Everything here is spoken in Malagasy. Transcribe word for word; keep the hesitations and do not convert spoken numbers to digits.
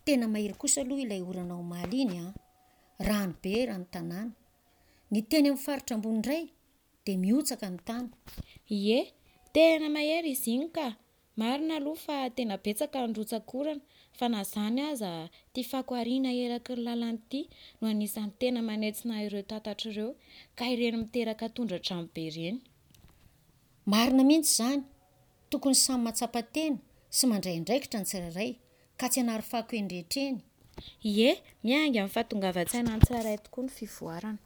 Tena mahery kosa aloha ilay orana omaly iny an! Rano be eran'ny tanàna. Ny teny amin'ny faritra ambony indray dia mihotsaka ny tany. Ie, tena mahery izy iny ka! Marina aloha fa tena betsaka ny rotsak'orana fa na izany aza ity fako ariana eraky ny lalana ity no anisan'ny tena manentsina ireo tatatra ireo ka ireny miteraka tondra-drano be ireny. Marina mihitsy izany. Tokony samy mahatsapa tena sy mandray andraikitra ny tsirairay ka tsy hanary fako eny rehetra eny. Ie, miainga amin'ny fahatongavan-tsaina ny tsirairay tokoa ny fivoarana.